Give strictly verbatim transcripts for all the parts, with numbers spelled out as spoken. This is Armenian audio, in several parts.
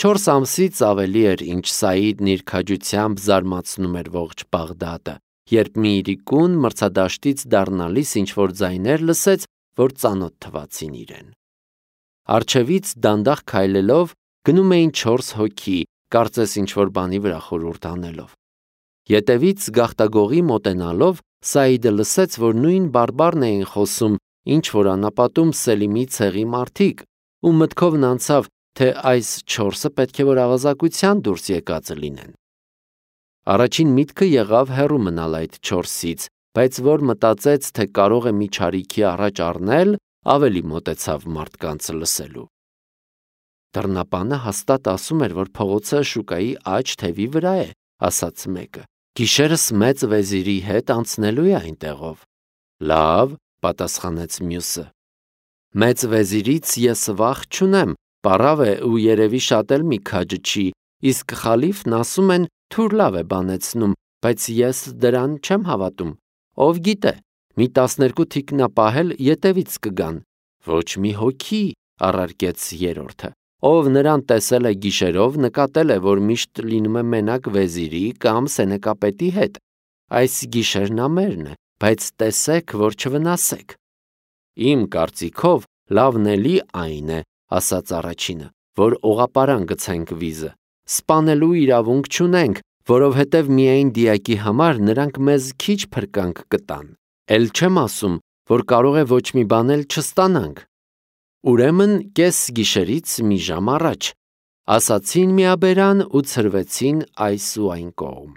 Չորս ամսից ավելի էր, ինչ Սաիդն իր քաջությամբ զարմացնում էր ողջ Բաղդադը, երբ մի իրիկուն մրցադաշտից դառնալիս ինչ-որ ձայներ լսեց, որ ծանոթ թվացին իրեն։ Առջևից դանդաղ քայլելով գնում էին չորս հոգի, կարծես ինչ-որ բանի վրա խորհուրդ անելով։ Ետևից գաղտագողի մոտենալով Սաիդը լսեց, որ նույն բարբառն էին խոսում, ինչ որ անապատում Սելիմի ցեղի մարդիկ, ու մտքովն անցավ, թե այս չորսը պետք է որ ավազակության դուրս եկածը լինեն։ Առաջին միտքը եղավ հեռու մնալ այդ չորսից, բայց որ մտածեց, թե կարող է մի չարիքի առաջ առնել, ավելի մոտեցավ մարդկանց լսելու։ Դռնապանը հաստատ ասում էր, որ փողոցը շուկայի աջ թևի վրա է, ասաց մեկը։ Գիշերս մեծ վեզիրի հետ անցնելու է այնտեղով։ Լավ, պատասխանեց մյուսը։ Մեծ վեզիրից ես վախ չունեմ, պարավ է ու երևի շատ էլ մի քաջը չի, իսկ խալիֆն ասում են թուր լավ է բանեցնում, բայց ես դրան չեմ հավատում։ Ով գիտե, մի տասներկու թիկնապահել ետևից կգան։ Ոչ մի հոգի, առարկեց երրորդը, ով նրան տեսել է գիշերով, նկատել է, որ միշտ լինում է մենակ վեզիրի կամ սենեկապետի հետ։ Այս գիշերն ամերն է, բայց տեսեք, որ չվնասեք։ Իմ կարծիքով լավն էլի այն է, ասաց առաջինը, որ օղապարան գցենք վիզը։ Սպանելու իրավունք չունենք, որովհետև միայն դիակի համար նրանք մեզ քիչ փրկանք կտան։ Էլ չեմ ասում, որ կարող է ոչ մի բան էլ չստանանք։ Ուրեմն կես գիշերից մի ժամ առաջ, ասացին միաբերան ու ցրվեցին այս ու այն կողմ։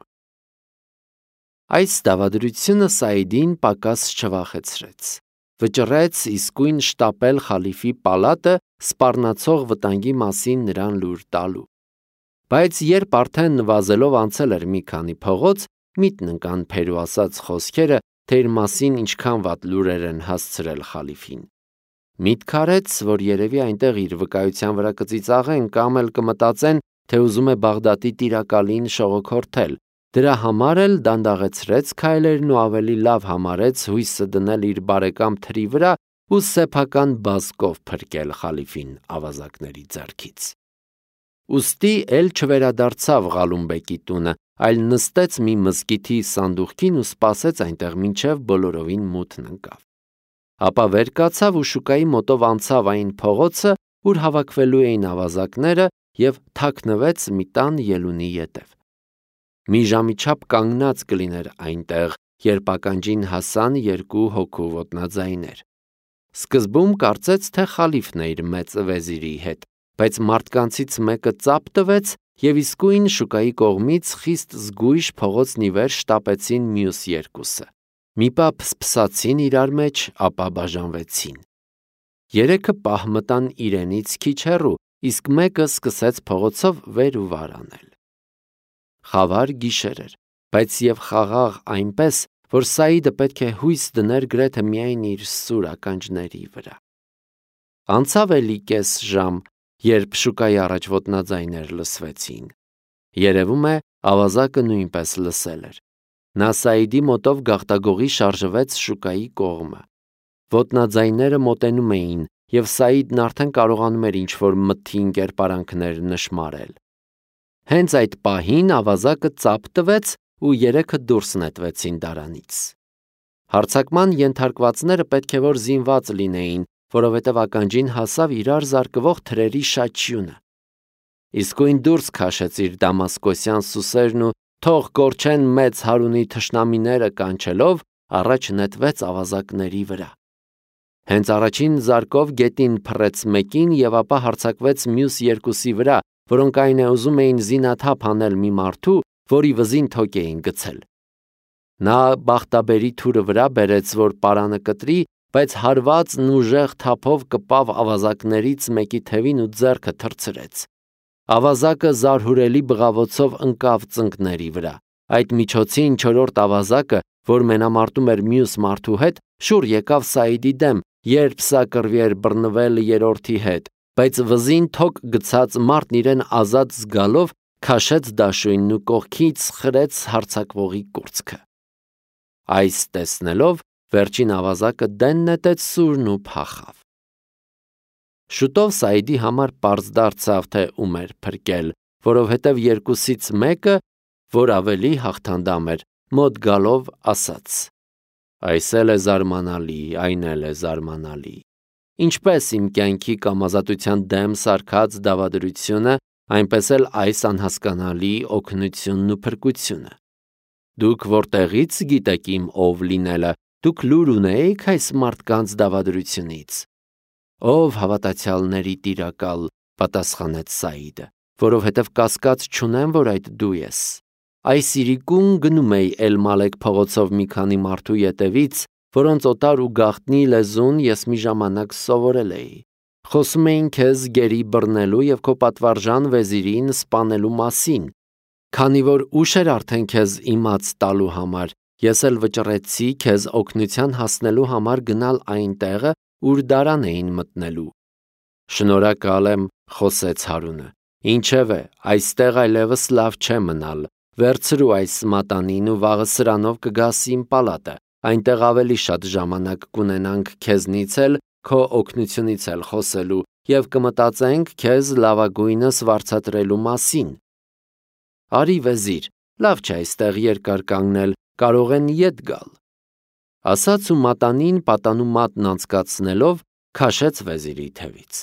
Այս դավադրությունը Սաիդին պակաս չվախեցրեց։ Վճռեց իսկույն շտապել խալիֆի պալատը սպառնացող վտանգի մասին նրան լուր տալու։ Բայց երբ արդեն նվազելով անցել էր մի քանի փողոց, միտն ընկան Փերու ասած խոսքերը, թե իր մասին ինչքան վատ լուրեր են հասցրել խալիֆին։ Միտք արեց, որ երևի այնտեղ իր վկայության վրա կծիծաղեն կամ էլ կմտածեն, թե ուզում է Բաղդադի տիրակալին շողոքորթել։ Դրա համար էլ դանդաղեցրեց քայլերն ու ավելի լավ համարեց հույսը դնել իր բարեկամ թրի վրա ու սեփական բազկով փրկել խալիֆին ավազակների ձեռքից։ Ուստի էլ չվերադարձավ Ղալումբեկի տունը, այլ նստեց մի մզկիթի սանդուղքին ու սպասեց այնտեղ, մինչև բոլորովին մութն ընկավ։ Ապա վեր կացավ ու շուկայի մոտով անցավ այն փողոցը, ուր հավաքվելու էին ավազակները, եւ թաքնվեց մի տան ելունի ետև։ Մի ժամի չափ կանգնած կլիներ այնտեղ, երբ ականջին հասան երկու հոգու ոտնաձայներ։ Սկզբում կարծեց, թե խալիֆն է իր մեծ վեզիրի հետ, բայց մարդկանցից մեկը ծափ տվեց եւ իսկույն շուկայի կողմից խիստ զգույշ փողոցն ի վեր շտապեցին մյուս երկուսը։ Մի պահ փսփսացին իրար մեջ, ապա բաժանվեցին։ Երեքը պահ մտան իրենից քիչ հեռու, իսկ մեկը սկսեց փողոցով վեր ու վար անել։ Խավար գիշեր էր, բայց եւ խաղաղ այնպես, որ Սաիդը պետք է հույս դներ գրեթե միայն իր սուր ականջների վրա։ Անցավ էլի կես ժամ, երբ շուկայի առաջ ոտնաձայներ լսվեցին։ Երևում է, ավազակը նույնպես լսել էր։ Նա Սաիդի մոտով գաղտագողի շարժվեց շուկայի կողմը։ Ոտնաձայները մոտենում էին, եւ Սաիդն արդեն կարողանում էր ինչ-որ մթին կերպարանքներ նշմարել։ Հենց այդ պահին ավազակը ծափ տվեց ու երեքը դուրս նետվեցին դարանից։ Հարձակման ենթարկվածները պետք է որ զինված լինեին, որովհետև ականջին հասավ իրար զարկվող թրերի շաչյունը։ Իսկույն դուրս քաշեց իր դամասկոսյան սուսերն ու թող կորչեն մեծ հարունի թշնամիները կանչելով, առաջ նետվեց ավազակների վրա։ Հենց առաջին զարկով գետին փռեց մեկին եւ ապա հարձակվեց մյուս երկուսի վրա, որոնք այն է ուզում էին զինաթափ անել մի մարդու, որի վզին թոք էին գցել։ Նա բախտաբերի թուրը վրա բերեց, որ պարանը կտրի, բայց հարվածն ուժեղ թափով կպավ ավազակներից մեկի թևին ու ձեռքը թռցրեց։ Ավազակը զարհուրելի բղավոցով ընկավ ծնկների վրա։ Այդ միջոցին չորրորդ ավազակը, որ մենամարտում էր մյուս մարդու հետ, շուռ եկավ Սաիդի դեմ, երբ սա կռվի էր բռնվել երրորդի հետ, բայց վզին թոք գցած մարդն իրեն ազատ զգալով քաշեց դաշույնն ու կողքից խրեց հարձակվողի կուրծքը։ Այս տեսնելով վերջին ավազակը դեն նետեց սուրն ու փախավ։ Շուտով Սաիդի համար պարզ դարձավ, թե ում էր փրկել, որովհետև երկուսից մեկը, որ ավելի հաղթանդամ էր, մոտ գալով ասաց. «Այս էլ է զարմանալի, այն էլ է զարմանալի»։ Ինչպես իմ կյանքի կամ ազատության դեմ սարքած դավադրությունը, այնպես էլ այս անհասկանալի օգնությունն ու փրկությունը։ Դուք որտեղից գիտեք իմ ով լինելը, դուք լուր ունեիք այս մարդկանց դավադրությունից։ Ով հավատացյալների տիրակալ, պատասխանեց Սաիդը, որովհետև կասկած չունեմ, որ այդ դու ես։ Այս իրիկուն գնում էի Էլ-Մալեք փողոցով մի քանի մարդու ետևից, որոնց օտար ու գաղտնի լեզուն ես մի ժամանակ սովորել էի։ Խոսում էին քեզ գերի բռնելու և քո պատվարժան վեզիրին սպանելու մասին։ Քանի որ ուշ էր արդեն քեզ իմաց տալու համար, ես էլ վճռեցի քեզ օգնության հասնելու համար գնալ այն տեղը, ուր դարան էին մտնելու։ Շնորհակալ եմ, խոսեց Հարունը։ Ինչևէ, այստեղ այլևս լավ չէ մնալ։ Վերցրու այս մատանին ու վաղը սրանով կգաս իմ պալատը, այնտեղ ավելի շատ ժամանակ կունենանք քեզնից էլ, քո օգնությունից էլ խոսելու և կմտածենք քեզ լավագույնս վարձատրելու մասին։ Արի վեզիր, լավ չէ այստեղ երկար կանգնել, կարող են ետ գալ։ Ասաց ու մատանին պատանու մատն անցկացնելով քաշեց վեզիրի թևից։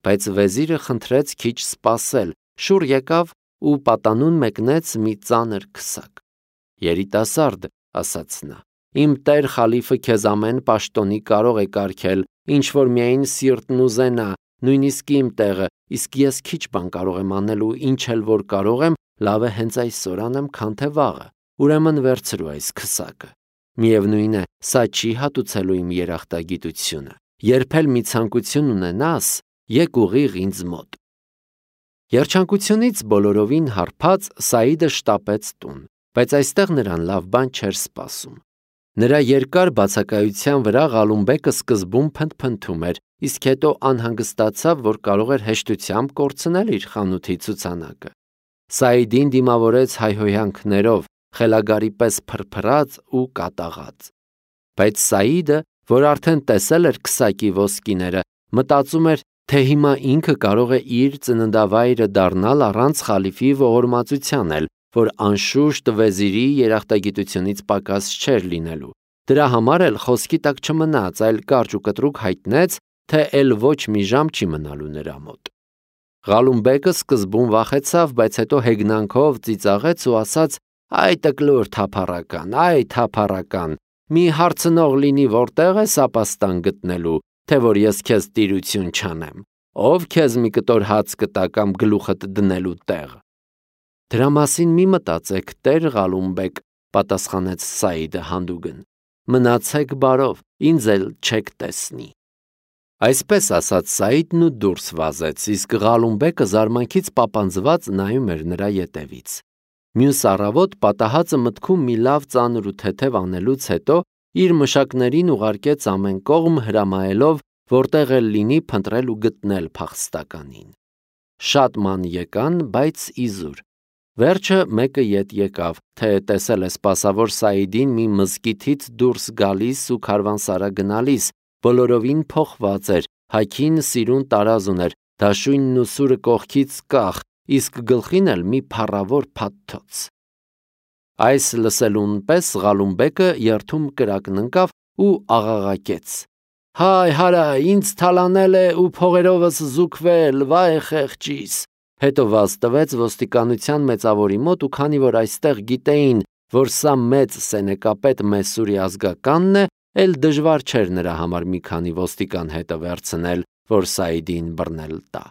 Բայց վեզիրը խնդրեց քիչ սպասել, շուռ եկավ ու պատանուն մեկնեց մի ծանր քսակ։ Երիտասարդ, ասաց նա, իմ տեր խալիֆը քեզ ամեն պաշտոնի կարող է կարգել, ինչ որ միայն սիրտն ուզենա, նույնիսկ իմ տեղը, իսկ ես քիչ բան կարող եմ անել ու ինչ էլ որ կարող եմ, լավ է հենց այսօր անեմ, քան թե վաղը, ուրեմն վերցրու այս քսակը։ Միևնույն է, սա չի հատուցելու իմ երախտագիտությունը։ Երբ էլ մի ցանկություն ունենաս, եկ ուղիղ ինձ մոտ։ Երջանկությունից բոլորովին հարբած Սաիդը շտապեց տուն, բայց այստեղ նրան լավ բան չէր սպասում։ Նրա երկար բացակայության վրա Ղալումբեկը սկզբում փնթփնթում էր, իսկ հետո անհանգստացավ, որ կարող էր հեշտությամբ կորցնել իր խանութի ցուցանակը։ Սաիդին դիմավորեց հայհոյանքներով, խելագարի պես փրփրած ու կատաղած։ Բայց Սաիդը, որ արդեն տեսել էր քսակի ոսկիները, մտածում էր, թե հիմա ինքը կարող է իր ծննդավայրը դառնալ առանց խալիֆի ողորմածության էլ, որ անշուշտ վեզիրի երախտագիտությունից պակաս չէր լինելու։ Դրա համար էլ խոսքի տակ չմնաց, այլ կարճ ու կտրուկ հայտնեց, թե էլ ոչ մի ժամ չի մնալու նրա մոտ։ Ղալումբեկը սկզբում վախեցավ, բայց հետո հեգնանքով ծիծաղեց ու ասաց. «Այ տկլոր թափառական, այ թափառական, մի հարցնող լինի, որտեղ ես ապաստան գտնելու, թե որ ես քեզ տիրություն չանեմ, ով քեզ մի կտոր հաց կտա կամ գլուխդ դնելու տեղ»։ Դրա մասին մի մտածեք, տեր Ղալումբեկ, պատասխանեց Սաիդը հանդուգն։ Մնացեք բարով, ինձ էլ չեք տեսնի։ Այսպես ասաց Սաիդն ու դուրս վազեց, իսկ Ղալումբեկը զարմանքից պապանձված նայում էր նրա ետևից։ Մյուս առավոտ պատահածը մտքում մի լավ ծանր ու թեթև անելուց հետո իր մշակներին ուղարկեց ամեն կողմ հրամայելով, որտեղ էլ լինի փնտրել ու գտնել փախստականին։ Շատ ման եկան, բայց իզուր։ Վերջը մեկը ետ եկավ, թե տեսել է սպասավոր Սաիդին մի մզկիթից դուրս գալիս ու քարվանսարա գնալիս, բոլորովին փոխված էր, հագին սիրուն տարազ ուներ, դաշույնն ու սուրը կողքից կախ, իսկ գլխին էլ մի փառավոր փաթթոց։ Այս լսելուն պես Ղալումբեկը երթում կրակն ընկավ ու աղաղակեց. «Հայ հարա, ինձ թալանել է ու փողերովս զուգվել, վայ խեղճիս»։ Հետո վազ տվեց ոստիկանության մեծավորի մոտ ու քանի որ այստեղ գիտեին, որ սա մեծ սենեկապետ Մեսուրի ազգականն է, էլ դժվար չէր նրա համար մի քանի ոստիկան հետը վերցնել, որ Սաիդին բռնել տա։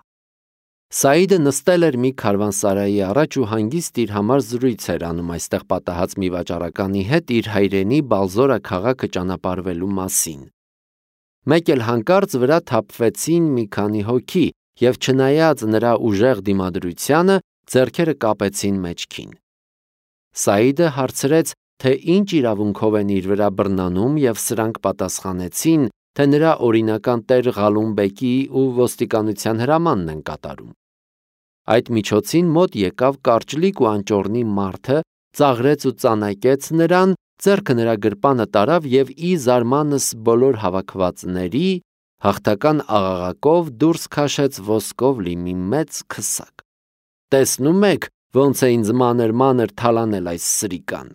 Սաիդը նստել էր մի քարվանսարայի առաջ ու հանգիստ իր համար զրույց էր անում այստեղ պատահած մի վաճառականի հետ իր հայրենի Բալզորա քաղաքը ճանապարհվելու մասին։ Մեկ էլ հանկարծ վրա թափվեցին մի քանի հոգի և չնայած նրա ուժեղ դիմադրությանը, ձեռքերը կապեցին մեջքին։ Սաիդը հարցրեց, թե ինչ իրավունքով են իր վրա բռնանում և սրանք պատասխանեցին, թե նրա օրինական տեր Ղալումբեկի ու ոստիկանության հրամանն են կատարում։ Այդ միջոցին մոտ եկավ կարճլիկ ու անճոռնի մարդը, ծաղրեց ու ծանակեց նրան, ձեռքը նրա գրպանը տարավ և ի զարմանս բոլոր հավաքվածների հաղթական աղաղակով դուրս քաշեց ոսկով լի մի մեծ քսակ։ Տեսնում եք, ոնց է ինձ մանր-մանր թալանել այս սրիկան։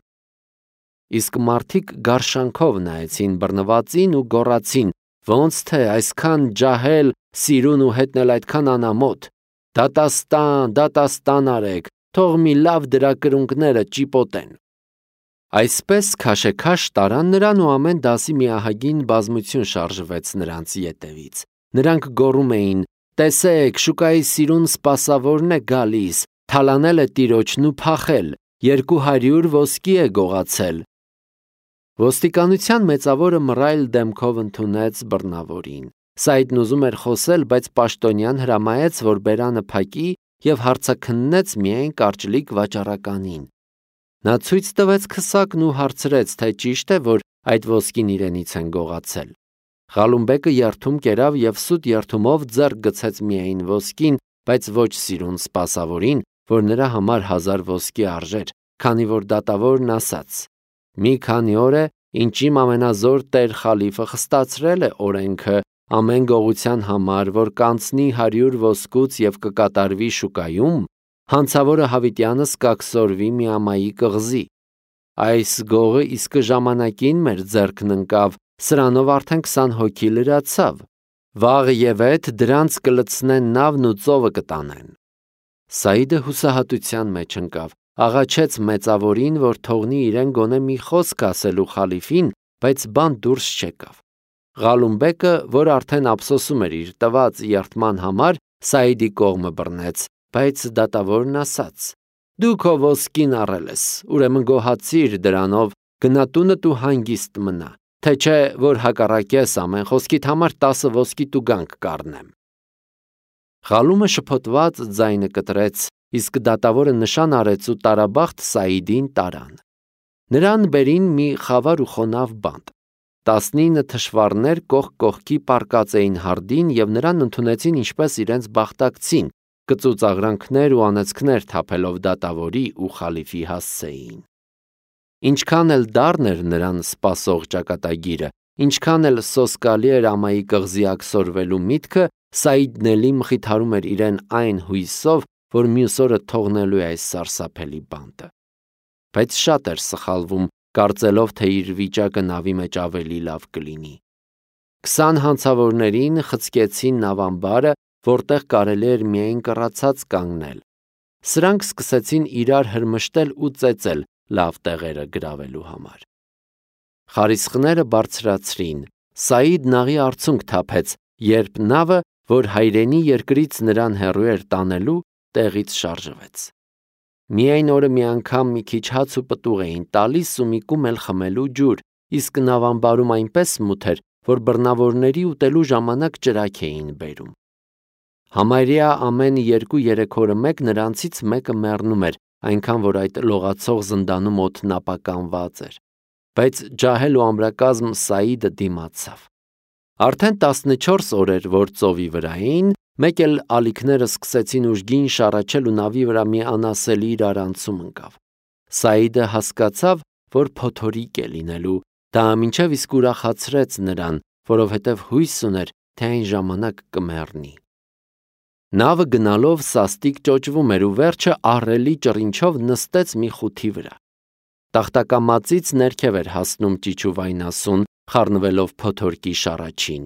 Իսկ մարդիկ գարշանքով նայեցին բռնվածին ու գոռացին. ոնց թե այսքան ջահել, սիրուն ու հետնել այդքան անամոթ։ Դատաստան, դատաստան արեք, թող մի լավ դրա կրունկները ճիպոտեն։ Այսպես քաշեքաշ տարան նրան ու ամեն դասի մի ահագին բազմություն շարժվեց նրանց ետևից։ Նրանք գոռում էին. տեսեք, շուկայի սիրուն սպասավորն է գալիս, թալանել է տիրոջն ու փախել, երկու հարյուր ոսկի է գողացել։ Ոստիկանության մեծավորը մռայլ դեմքով ընդունեց բռնավորին։ Սաիդն ուզում էր խոսել, բայց պաշտոնյան հրամայեց, որ բերանը փակի և հարցաքննեց միայն կարճլիկ վաճառականին։ Նա ցույց տվեց քսակն ու հարցրեց, թե ճիշտ է, որ այդ ոսկին իրենից են գողացել։ Ղալումբեկը երդում կերավ և սուտ երդումով ձեռք գցեց միայն ոսկին, բայց ոչ սիրուն սպասավորին, որ նրա համար հազար ոսկի արժեր, քանի որ դատավորն ասաց. մի քանի օր է, ինչ իմ ամենազոր տեր խալիֆը խստացրել է օրենքը ամեն գողության համար, որ կանցնի հարյուր ոսկուց և կկատարվի շուկայում, հանցավորը հավիտյանս կաքսորվի մի ամայի կղզի։ Այս գողը իսկ ժամանակին մեր ձեռքն ընկավ, սրանով արդեն քսան հոգի լրացավ։ Վաղ և էդ դրանց կլցնեն նավն ու ծովը կտանեն։ Սաիդը հուսահատության մեջ ընկավ, աղաչեց մեծավորին, որ թողնի իրեն գոնե մի խոսք ասելու խալիֆին, բայց բան դուրս չեկավ։ Ղալումբեկը, որ արդեն ափսոսում էր իր տված երդման համար, Սաիդի կողմը բռնեց, բայց դատավորն ասաց. դու քո ոսկին առել ես, ուրեմն գոհացիր դրանով, գնա տունդ ու հանգիստ մնա, թե չէ, որ հակառակես ամեն խոսքիդ համար տասը ոսկի տուգանք կառնեմ։ Ղալումը շփոթված ձայնը կտրեց, իսկ դատավորը նշան արեց ու տարաբախտ Սաիդին տարան։ Նրան բերին մի խավար ու խոնավ բանտ։ Տասնինը թշվառներ կողք կողքի պառկած էին հարդին և նրան ընդունեցին ինչպես իրենց բախտակցին, կծուծաղրանքներ ու անեծքներ թափելով դատավորի ու խալիֆի հասցեին։ Ինչքան էլ դառն էր նրան սպասող ճակատագիրը, ինչքան էլ սոսկալի էր ամայի կղզի աքսորվելու միտքը, Սաիդն էլի մխիթարում էր իրեն այն հույսով, որ մյուս օրը թողնելու է այս սարսափելի բանտը։ Բայց շատ էր սխալվում, կարծելով, թե իր վիճակը նավի մեջ ավելի լավ կլինի։ Քսան հանցավորներին խցկեցին նավամբարը, որտեղ կարելի էր միայն կռացած կանգնել։ Սրանք սկսեցին իրար հրմշտել ու ծեծել լավ տեղերը գրավելու համար։ Խարիսխները բարձրացրին, Սաիդն աղի արցունք թափեց, երբ նավը, որ հայրենի երկրից նրան հեռու էր տանելու, տեղից շարժվեց։ Միայն օրը մի անգամ մի քիչ հաց ու պտուղ էին տալիս ու մի կում էլ խմելու ջուր, իսկ նավամբարում այնպես մութ էր, որ բռնավորների ուտելու ժամանակ ճրագ էին բերում։ Համարյա ամեն երկու-երեք օրը մեկ նրանցից մեկը մեռնում էր, այնքան որ այդ լողացող զնդանում օդն ապականված էր։ Բայց ջահել ու ամրակազմ Սաիդը դիմացավ։ Արդեն տասնչորս օր էր, որ ծովի վրա էին, մեկ էլ ալիքները սկսեցին ուժգին շառաչել ու նավի վրա մի անասելի իրարանցում ընկավ։ Սաիդը հասկացավ, որ փոթորիկ է լինելու, դա մինչև իսկ ուրախացրեց նրան, որովհետև հույս ուներ, թե այն ժամանակ կմեռնի։ Նավը գնալով սաստիկ ճոճվում էր ու վերջը ահռելի ճռինչով նստեց մի խութի վրա։ Տախտակամածից ներքև էր հասնում ճիչուվայնասուն, խառնվելով փոթորկի շառաչին։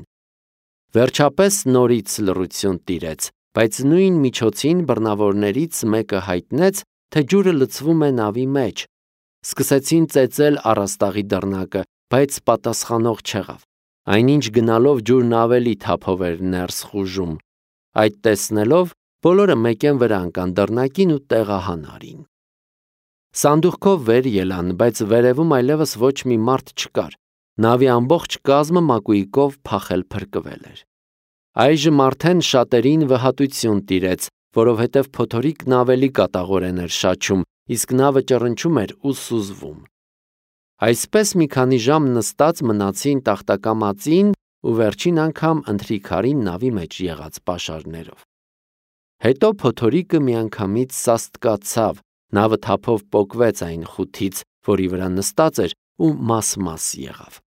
Վերջապես նորից լռություն տիրեց, բայց նույն միջոցին բռնավորներից մեկը հայտնեց, թե ջուրը լցվում է նավի մեջ։ Սկսեցին ծեծել առաստաղի դռնակը, բայց պատասխանող չեղավ։ Այնինչ գնալով ջուրն ավելի թափով էր ներս խուժում։ Այդ տեսնելով բոլորը մեկեն վրա ընկան դռնակին ու տեղահան արին։ Սանդուղքով վեր ելան, բայց վերևում այլևս ոչ մի մարդ չկար։ Նավի ամբողջ կազմը մակույկով փախել փրկվել էր։ Այժմ արդեն շատերին վհատություն տիրեց, որովհետև փոթորիկն ավելի կատաղորեն էր շաչում, իսկ նավը ճռնչում էր ու սուզվում։ Այսպես մի քանի ժամ նստած մնացին տախտակամածին ու վերջին անգամ ընթրիքարին նավի մեջ եղած պաշարներով։ Հետո փոթորիկը միանգամից սաստկացավ, նավը թափով պոկվեց այն խութից, որի վրա նստած էր ու մաս-մաս եղավ։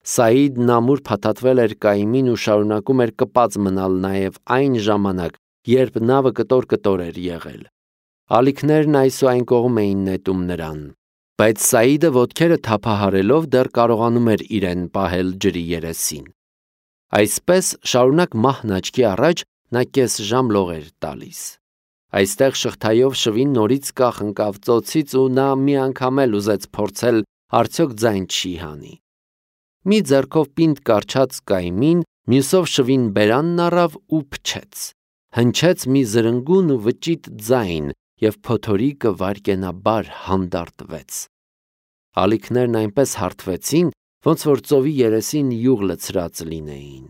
Սաիդն ամուր փաթաթվել էր կայմին ու շարունակում էր կպած մնալ նաև այն ժամանակ, երբ նավը կտոր-կտոր էր եղել։ Ալիքներն այս ու այն կողմ էին նետում նրան, բայց Սաիդը ոտքերը թափահարելով դեռ կարողանում էր իրեն պահել ջրի երեսին։ Այսպես շարունակ մահն աչքի առաջ նա կես ժամ լող էր տալիս։ Այստեղ շղթայով շվին նորից կախ ընկավ ծոցից ու նա մի անգամ էլ ուզեց փորձել արդյոք ձայն չի հանի։ Մի ձեռքով պինդ կարչած կայմին, մյուսով շվին բերանն առավ ու փչեց։ Հնչեց մի զրնգուն ու վճիտ ձայն և փոթորիկը վայրկենաբար հանդարտվեց։ Ալիքներն այնպես հարթվեցին, ոնց որ ծովի երեսին յուղ լցրած լինեին։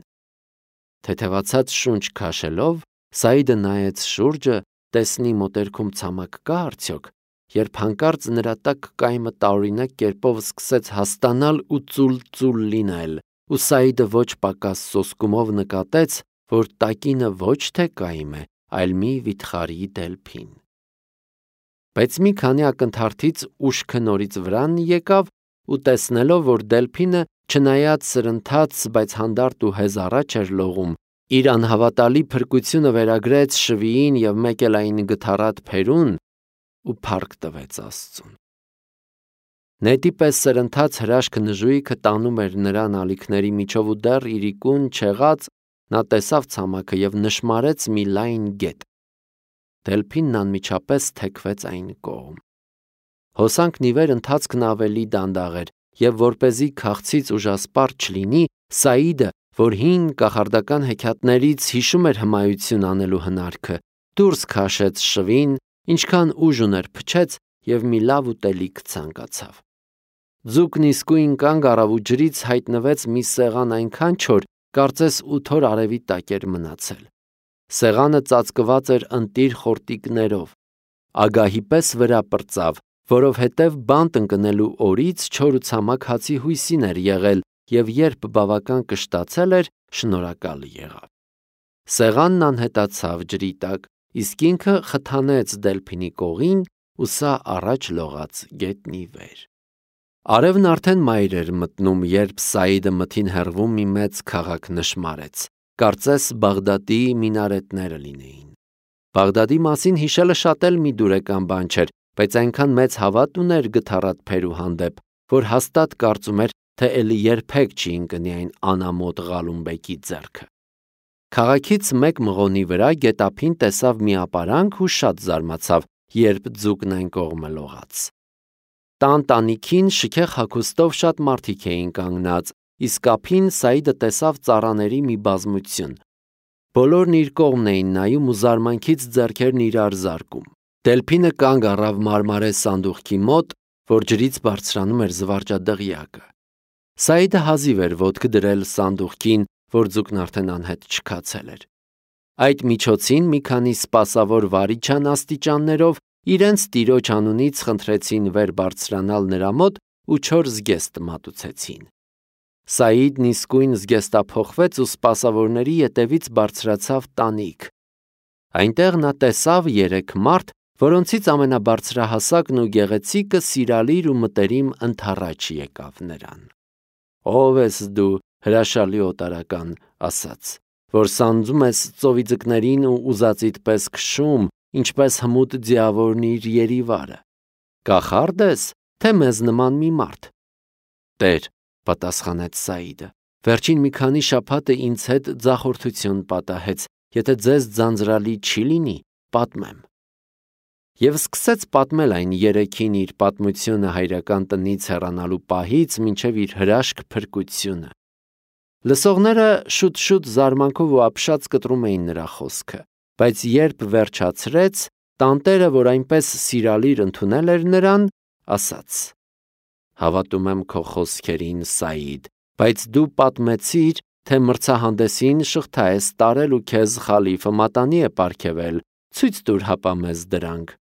Թեթևացած շունչ քաշելով, Սաիդը նայեց շուրջը, տեսնի մոտերքում ցամաք կա արդյոք, երբ հանկարծ նրա տակ կայմը տարօրինակ կերպով սկսեց հաստանալ ու ծուլ-ծուլ լինել, ու Սաիդը ոչ պակաս սոսկումով նկատեց, որ տակինը ոչ թե կայմ է, այլ մի վիթխարի դելփին։ Բայց մի քանի ակնթարթից ուշքը նորից վրան եկավ ու տեսնելով, որ դելփինը, չնայած սրընթաց, բայց հանդարտ ու հեզ առաջ էր լողում, իր անհավատալի փրկությունը վերագրեց շվիին և մեկ էլ այն գթառատ փերուն ու փառք տվեց Աստծուն։ Նետի պես սրընթաց հրաշք նժույգը տանում էր նրան ալիքների միջով ու դեռ իրիկուն չեղած նա տեսավ ցամաքը և նշմարեց մի լայն գետ։ Դելփինն անմիջապես թեքվեց այն կողմ։ Հոսանքն ի վեր ընթացքն ավելի դանդաղ էր, և որպեսզի քաղցից ուժասպառ չլինի, Սաիդը, որ հին կախարդական հեքիաթներից հիշում էր հմայություն անելու հնարքը, դուրս քաշեց շվին, ինչքան ուժ ուներ փչեց և մի լավ ուտելիք ցանկացավ։ Ձուկն իսկույն կանգ առավ ու ջրից հայտնվեց մի սեղան այնքան չոր, կարծես ութ օր արևի տակ էր մնացել։ Սեղանը ծածկված էր ընտիր խորտիկներով։ Ագահի պես վրա պրծավ, որովհետև բանտ ընկնելու օրից չոր ու ցամաք հացի հույսին էր եղել և երբ բավական կշտացել էր, շնորհակալ եղավ։ Սեղանն անհետացավ ջրի տակ, իսկ ինքը խթանեց դելփինի կողին ու սա առաջ լողաց գետնի վեր։ Արևն արդեն մայր էր մտնում, երբ Սաիդը մթին հեռվում մի մեծ քաղաք նշմարեց, կարծես Բաղդադի մինարետները լինեին։ Բաղդադի մասին հիշելը շատ էլ մի դուրեկան բան չէր, բայց այնքան մեծ հավատ ուներ գթառատ փերու հանդեպ, որ հաստատ կարծում էր, թե էլի երբեք չի ընկնի այն անամոթ Ղալումբեկի ձեռքը։ Քաղաքից մեկ մղոնի վրա գետափին տեսավ մի ապարանք ու շատ զարմացավ, երբ ձուկն այն կողմը լողաց։ Տան տանիքին շքեղ հագուստով շատ մարդիկ էին կանգնած, իսկ ափին Սաիդը տեսավ ծառաների մի բազմություն։ Բոլորն իր կողմն էին նայում ու զարմանքից ձեռքերն իրար զարկում։ Դելփինը կանգ առավ մարմարե սանդուղքի մոտ, որ ջրից բարձրանում էր զվարճադղյակը։ Սաիդը հազիվ էր ոտք դրել սանդուղքին, որ ձուկն արդեն անհետ չքացել էր։ Այդ միջոցին մի քանի սպասավոր վարիչան աստիճաններով իրենց տիրոջ անունից խնդրեցին վեր բարձրանալ նրա մոտ ու չոր զգեստ մատուցեցին։ Սաիդն իսկույն զգեստափոխվեց ու սպասավորների ետևից բարձրացավ տանիք։ Այնտեղ նա տեսավ երեք մարդ, որոնցից ամենաբարձրահասակն ու գեղեցիկը սիրալիր ու մտերիմ ընդառաջ եկավ նրան։ «Ո՞վ ես դու, հրաշալի օտարական», ասաց, «որ սանձում ես ծովի ձկներին ու ուզածիդ պես քշում, ինչպես հմուտ ձիավորն իր երիվարը։ Կախարդ ես, թե մեզ նման մի մարդ»։ «Տեր», պատասխանեց Սաիդը, «վերջին մի քանի շաբաթը ինձ հետ ձախորդություն պատահեց, եթե ձեզ ձանձրալի չի լինի, պատմեմ»։ Եվ սկսեց պատմել այն երեքին իր պատմությունը հայրական տնից հեռանալու պահից մինչև իր հրաշք փրկությունը։ Լսողները շուտ-շուտ զարմանքով ու ապշած կտրում էին նրա խոսքը, բայց երբ վերջացրեց, տանտերը, որ այնպես սիրալիր ընդունել էր նրան, ասաց. «Հավատում եմ քո խոսքերին, Սաիդ, բայց դու պատմեցիր, թե մրցահանդեսին շղթա ես տարել ու քեզ խալիֆը մատանի է պարգևել, ցույց տուր հապա մեզ դրանք»։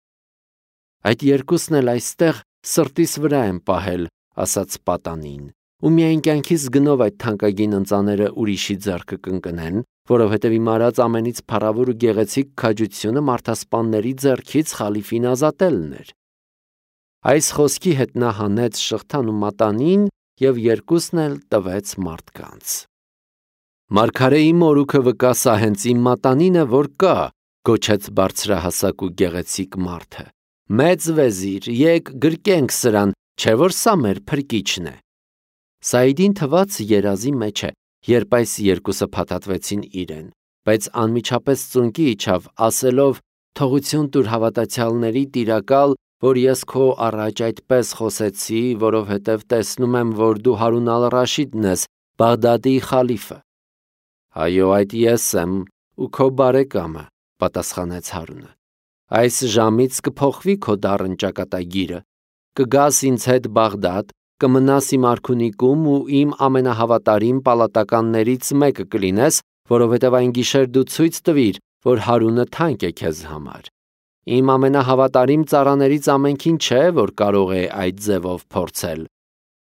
«Այդ երկուսն էլ այստեղ սրտիս վրա եմ պահել», ասաց պատանին, «ու միայն կյանքիս գնով այդ թանկագին ընծաները ուրիշի ձեռքը կընկնեն, որովհետև իմ արած ամենից փառավոր ու գեղեցիկ քաջությունը մարդասպանների ձեռքից խալիֆին ազատելն էր»։ Այս խոսքի հետ նա հանեց շղթան ու մատանին և երկուսն էլ տվեց մարդկանց։ Մարգարեի մորուքը վկա սա հենց իմ մատանին է, որ կա, գոչեց բարձրահասակ ու գեղեցիկ մարդը։ Մեծ վեզիր, եկ գրկենք սրան, չէ որ սա մեր փրկիչն է։ Սաիդին թվաց երազի մեջ է, երբ այս երկուսը փաթաթվեցին իրեն, բայց անմիջապես ծունկի իջավ, ասելով. «Թողություն տուր հավատացյալների տիրակալ, որ ես քո առաջ այդպես խոսեցի, որովհետև տեսնում եմ, որ դու Հարուն ալ-Ռաշիդն ես, Բաղդադի խալիֆը»։ «Այո, այդ ես եմ ու քո բարեկամը», պատասխանեց Հարունը։ «Այս ժամից կփոխվի քո դառն ճակատագիրը, կգաս ինձ հետ Բաղդադ, կմնաս իմ արքունիքում ու իմ ամենահավատարիմ պալատականներից մեկը կլինես, որովհետև այն գիշեր դու ցույց տվիր, որ Հարունը թանկ է քեզ համար։ Իմ ամենահավատարիմ ծառաներից ամենքին չէ, որ կարող է այդ ձևով փորձել,